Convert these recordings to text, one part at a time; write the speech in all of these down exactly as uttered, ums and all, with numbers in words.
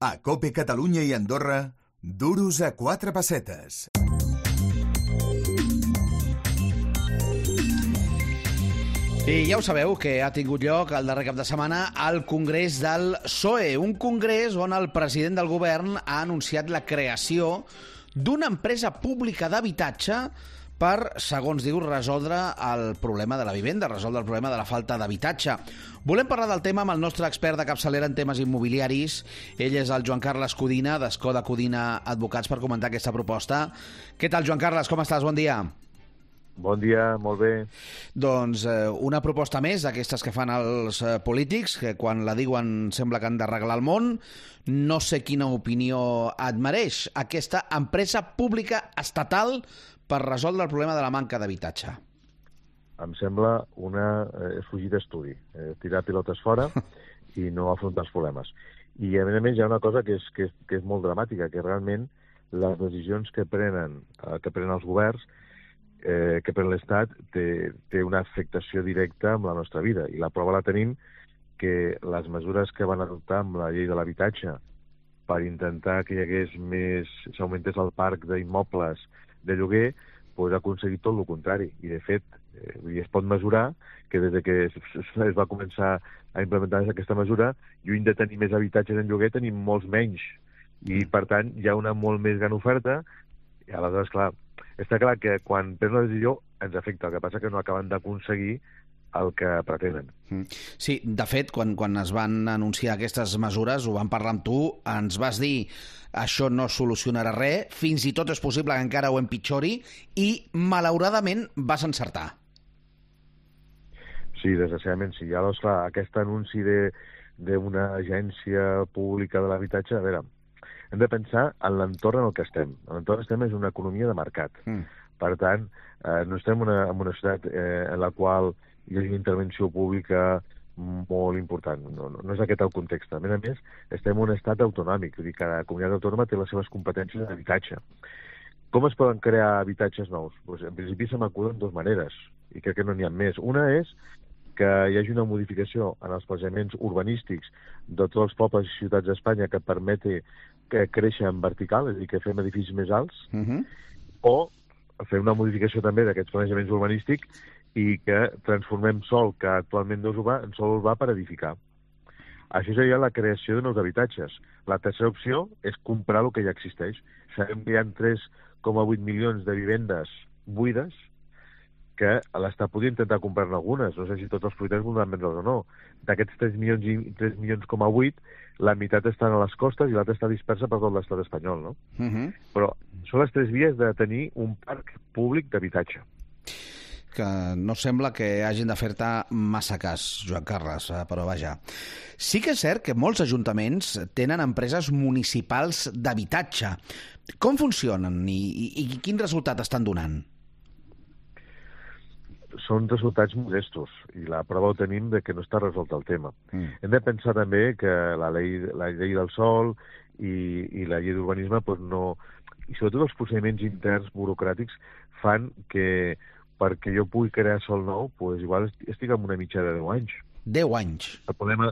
A COPE Catalunya i Andorra, duros a quatre pessetes. I ja ho sabeu que ha tingut lloc el darrer cap de setmana al Congrés del P S O E, un congrés on el president del govern ha anunciat la creació d'una empresa pública d'habitatge per, segons diu, resoldre el problema de la vivenda, resoldre el problema de la falta d'habitatge. Volem parlar del tema amb el nostre expert de capçalera en temes immobiliaris. Ell és el Joan Carles Codina, d'Escoda Codina Advocats, per comentar aquesta proposta. Què tal, Joan Carles? Com estàs? Bon dia. Bon dia, molt bé. Doncs eh, una proposta més d'aquestes que fan els eh, polítics, que quan la diuen sembla que han d'arreglar el món. No sé quina opinió et mereix aquesta empresa pública estatal per resoldre el problema de la manca d'habitatge. Em sembla una eh, fugir d'estudi, eh, tirar pilotes fora i no afrontar els problemes. I a més a més hi ha una cosa que és, que és, que és molt dramàtica, que realment les decisions que prenen, eh, que prenen els governs, eh, que pren l'Estat, té, té una afectació directa amb la nostra vida. I la prova la tenim que les mesures que van adoptar amb la llei de l'habitatge per intentar que hi hagués més, s'augmentés el parc d'immobles de lloguer, doncs ha aconseguit tot el contrari. I, de fet, eh, es pot mesurar que des que es, es va començar a implementar aquesta mesura, lluny de tenir més habitatges en lloguer, tenim molts menys. I, per tant, hi ha una molt més gran oferta. I, aleshores, clar, està clar que quan prenen la decisió ens afecta. El que passa que no acaben d'aconseguir el que pretenen. Sí, de fet, quan, quan es van anunciar aquestes mesures, ho vam parlar amb tu, ens vas dir això no solucionarà res, fins i tot és possible que encara ho empitjori, i malauradament vas encertar. Sí, desgraciadament sí. Llavors, clar, aquest anunci d'una agència pública de l'habitatge, a veure, hem de pensar en l'entorn en el que estem. L'entorn estem és una economia de mercat. Mm. Per tant, eh, no estem una, en una societat eh, en la qual hi ha una intervenció pública molt important. No, no, no és aquest el context. A més a més, estem en un estat autonòmic, és a dir, cada comunitat autònoma té les seves competències d'habitatge. Com es poden crear habitatges nous? Pues, en principi se m'acuden dues maneres, i crec que no n'hi ha més. Una és que hi hagi una modificació en els planejaments urbanístics de tots els pobles i ciutats d'Espanya que permeti que créixer en vertical, és a dir, que fem edificis més alts, uh-huh. o fer una modificació també d'aquests planejaments urbanístics i que transformem sòl que actualment no és urbà en sòl urbà per edificar. Això seria la creació de nous habitatges. La tercera opció és comprar el que ja existeix. Sabem que hi ha tres coma vuit milions de vivendes buides que l'Estat podria intentar comprar-ne algunes. No sé si tots els propietaris voldran vendre'ls o no. D'aquests tres milions i tres milions coma vuit, la meitat estan a les costes i l'altra està dispersa per tot l'estat espanyol, no? Uh-huh. Però són les tres vies de tenir un parc públic d'habitatge. Que no sembla que hagin de fer-te massa cas, Joan Carles, però vaja. Sí que és cert que molts ajuntaments tenen empreses municipals d'habitatge. Com funcionen i, i, i quin resultat estan donant? Són resultats modestos i la prova ho tenim de que no està resolt el tema. Mm. Hem de pensar també que la llei, la llei del sòl i, i la llei d'urbanisme pues no, i sobretot els procediments interns burocràtics fan que perquè jo pugui crear sòl nou, pues igual estic en una mitja de deu anys. deu anys? El problema,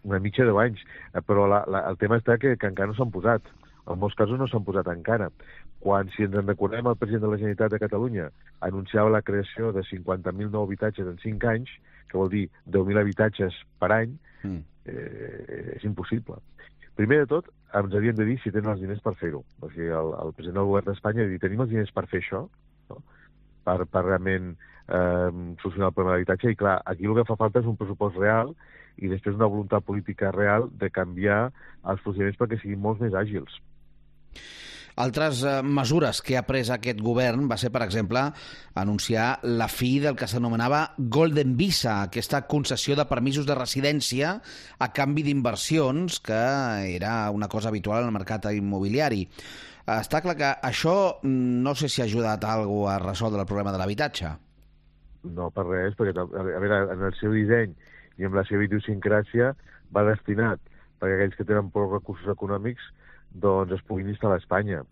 una mitja de deu anys, però la, la, el tema està que, que encara no s'han posat. En molts casos no s'han posat encara. Quan, si ens en recordem, el president de la Generalitat de Catalunya anunciava la creació de cinquanta mil nous habitatges en cinc anys, que vol dir deu mil habitatges per any, mm. eh, és impossible. Primer de tot, ens havien de dir si tenen els diners per fer-ho. O sigui, el, el president del govern d'Espanya ha dit, tenim els diners per fer això? No? Per, per realment eh, solucionar el problema de l'habitatge. I clar, aquí el que fa falta és un pressupost real i després una voluntat política real de canviar els procediments perquè siguin molt més àgils. Altres eh, mesures que ha pres aquest govern va ser, per exemple, anunciar la fi del que s'anomenava Golden Visa, aquesta concessió de permisos de residència a canvi d'inversions, que era una cosa habitual en el mercat immobiliari. Està clar que això no sé si ha ajudat algú a resoldre el problema de l'habitatge. No, per res, perquè a veure, en el seu disseny i amb la seva idiosincràsia va destinat perquè aquells que tenen pocs recursos econòmics doncs es puguin instal·lar a Espanya.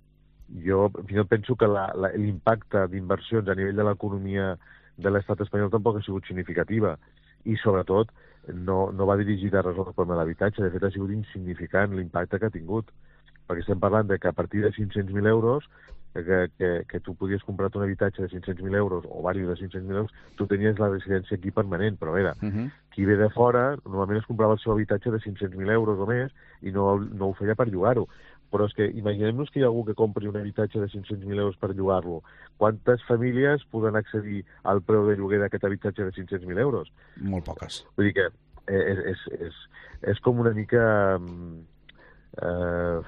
Jo fins i tot penso que l'impacte d'inversions a nivell de l'economia de l'estat espanyol tampoc ha sigut significativa. i sobretot no, no va dirigit a resoldre el problema de l'habitatge. De fet, ha sigut insignificant l'impacte que ha tingut, perquè estem parlant de que a partir de cinc-cents mil euros que, que, que tu podies comprar un habitatge de cinc-cents mil euros o diversos de cinc-cents mil euros, tu tenies la residència aquí permanent, però a veure, uh -huh. qui ve de fora normalment es comprava el seu habitatge de cinc-cents mil euros o més i no, no ho feia per llogar-ho. Però és que imaginem-nos que hi ha algú que compri un habitatge de cinc-cents mil euros per llogar-lo. Quantes famílies poden accedir al preu de lloguer d'aquest habitatge de cinc-cents mil euros? Molt poques. Vull dir que és, és, és, és com una mica eh,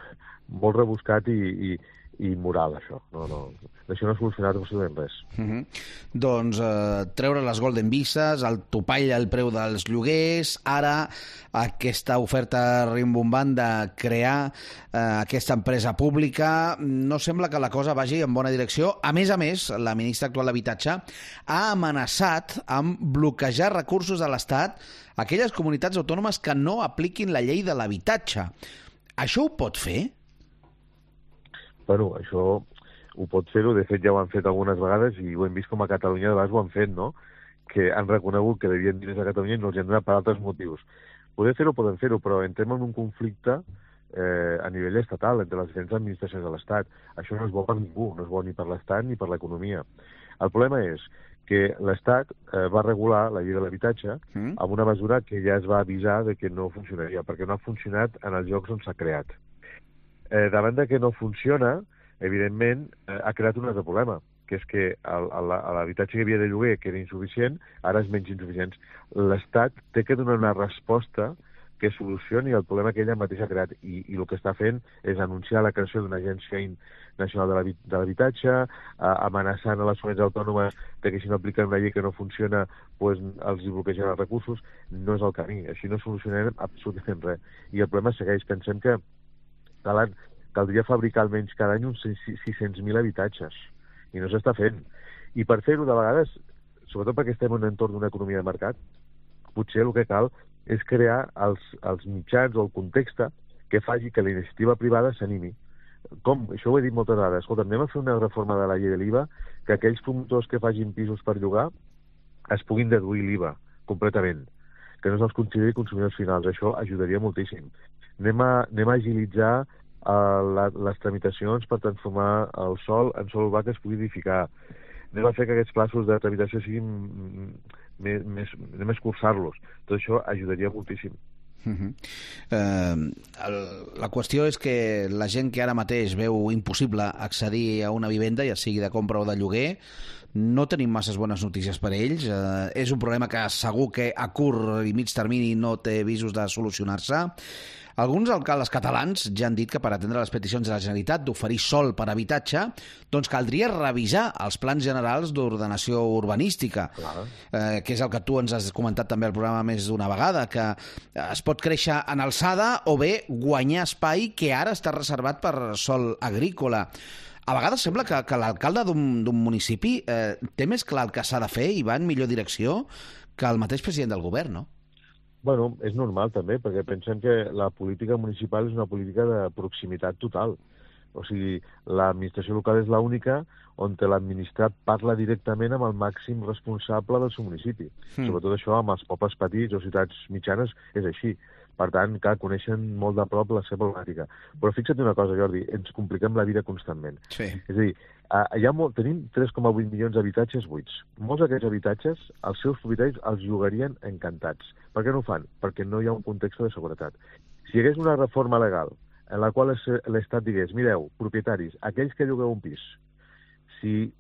molt rebuscat i, i, i moral, això. No, no, això no ha solucionat absolutament res. Uh -huh. Doncs eh, treure les Golden Visas, el topall al preu dels lloguers, ara aquesta oferta rimbombant de crear eh, aquesta empresa pública, no sembla que la cosa vagi en bona direcció. A més a més, la ministra actual d'Habitatge ha amenaçat amb bloquejar recursos de l'Estat a aquelles comunitats autònomes que no apliquin la llei de l'habitatge. Això ho pot fer? Bueno, això ho pot fer-ho, de fet ja ho han fet algunes vegades i ho hem vist com a Catalunya de vegades ho han fet, no? Que han reconegut que devien diners a Catalunya i no els han donat per altres motius. Poder fer-ho, poden fer-ho, però entrem en un conflicte eh, a nivell estatal entre les diferents administracions de l'Estat. Això no és bo per ningú, no és bo ni per l'Estat ni per l'economia. El problema és que l'Estat eh, va regular la llei de l'habitatge mm. amb una mesura que ja es va avisar de que no funcionaria, perquè no ha funcionat en els llocs on s'ha creat. Eh, davant de que no funciona, evidentment, eh, ha creat un altre problema, que és que l'habitatge que havia de lloguer, que era insuficient, ara és menys insuficient. L'Estat té que donar una resposta que solucioni el problema que ella mateixa ha creat, i, i el que està fent és anunciar la creació d'una agència nacional de l'habitatge, eh, amenaçant a les comunitats autònomes de que si no apliquen una llei que no funciona, pues, els bloquejaran els recursos. No és el camí, així no solucionarem absolutament res. I el problema segueix. Pensem que Calant, caldria fabricar almenys cada any uns sis-cents mil habitatges, i no s'està fent. I per fer-ho, de vegades, sobretot perquè estem en un entorn d'una economia de mercat, potser el que cal és crear els, els mitjans o el context que faci que la iniciativa privada s'animi. Com? Això ho he dit moltes vegades. Escolta, anem a fer una reforma de la llei de l'I V A, que aquells promotors que facin pisos per llogar es puguin deduir l'I V A completament, que no se'ls consideri consumidors finals. Això ajudaria moltíssim. Anem a, anem a agilitzar uh, la, les tramitacions per transformar el sòl en sòl urbà que es pugui edificar. Anem a fer que aquests plaços de tramitació siguin més, més, anem a escurçar-los. Tot això ajudaria moltíssim. Uh -huh. eh, el, la qüestió és que la gent que ara mateix veu impossible accedir a una vivenda, ja sigui de compra o de lloguer, no tenim masses bones notícies per a ells. Eh, és un problema que segur que a curt i mig termini no té visos de solucionar-se. Alguns alcaldes catalans ja han dit que per atendre les peticions de la Generalitat d'oferir sòl per habitatge, doncs caldria revisar els plans generals d'ordenació urbanística, eh, que és el que tu ens has comentat també al programa més d'una vegada, que es pot créixer en alçada o bé guanyar espai que ara està reservat per sòl agrícola. A vegades sembla que, que l'alcalde d'un municipi eh, té més clar el que s'ha de fer i va en millor direcció que el mateix president del govern, no? Bueno, és normal també, perquè pensem que la política municipal és una política de proximitat total. O sigui, l'administració local és l'única on l'administrat parla directament amb el màxim responsable del seu municipi. Mm. Sobretot això amb els pobles petits o ciutats mitjanes és així. Per tant, que coneixen molt de prop la seva problemàtica. Però fixa't una cosa, Jordi, ens compliquem la vida constantment. Sí. És a dir, hi ha molt, tenim tres coma vuit milions d'habitatges buits. Molts d'aquests habitatges, els seus propietaris els llogarien encantats. Per què no ho fan? Perquè no hi ha un context de seguretat. Si hi hagués una reforma legal en la qual l'Estat digués, mireu, propietaris, aquells que llogueu un pis, si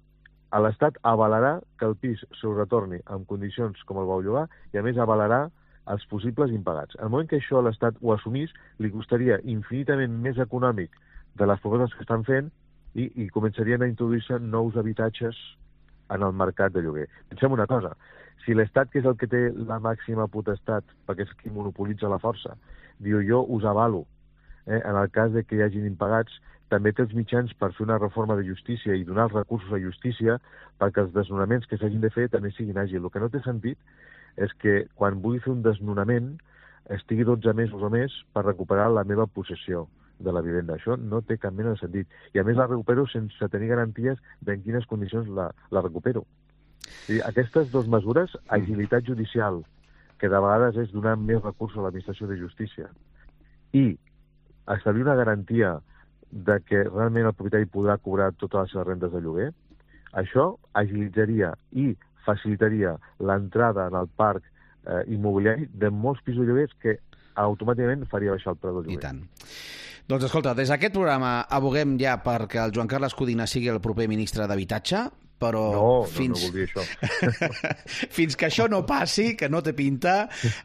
l'Estat avalarà que el pis se us retorni en condicions com el vau llogar i, a més, avalarà els possibles impagats. Al moment que això l'Estat ho assumís, li costaria infinitament més econòmic de les propostes que estan fent i, i començarien a introduir-se nous habitatges en el mercat de lloguer. Pensem una cosa, si l'Estat, que és el que té la màxima potestat, perquè és qui monopolitza la força, diu jo us avalo, eh, en el cas de que hi hagin impagats, també té els mitjans per fer una reforma de justícia i donar els recursos a justícia perquè els desnonaments que s'hagin de fer també siguin àgils. El que no té sentit és que quan vull fer un desnonament estigui dotze mesos o més per recuperar la meva possessió de la vivenda. Això no té cap mena de sentit. I a més la recupero sense tenir garanties d'en quines condicions la, la recupero. I aquestes dues mesures, agilitat judicial que de vegades és donar més recursos a l'administració de justícia i establir una garantia de que realment el propietari podrà cobrar totes les seves rendes de lloguer, això agilitzaria i facilitaria l'entrada en el parc eh, immobiliari de molts pisos de lloguers que automàticament faria baixar el preu del lloguer. I tant. Doncs escolta, des d'aquest programa aboguem ja perquè el Joan Carles Codina sigui el proper ministre d'Habitatge, però no, fins... no, no vol dir això. fins que això no passi, que no té pinta,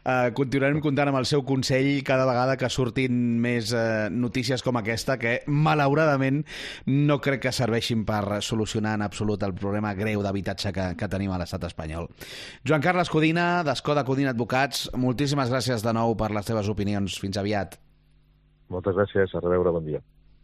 eh, continuarem comptant amb el seu consell cada vegada que surtin més eh, notícies com aquesta, que malauradament no crec que serveixin per solucionar en absolut el problema greu d'habitatge que, que tenim a l'estat espanyol. Joan Carles Codina, d'Escoda Codina Advocats, moltíssimes gràcies de nou per les teves opinions. Fins aviat. Moltes gràcies, a reveure, bon dia.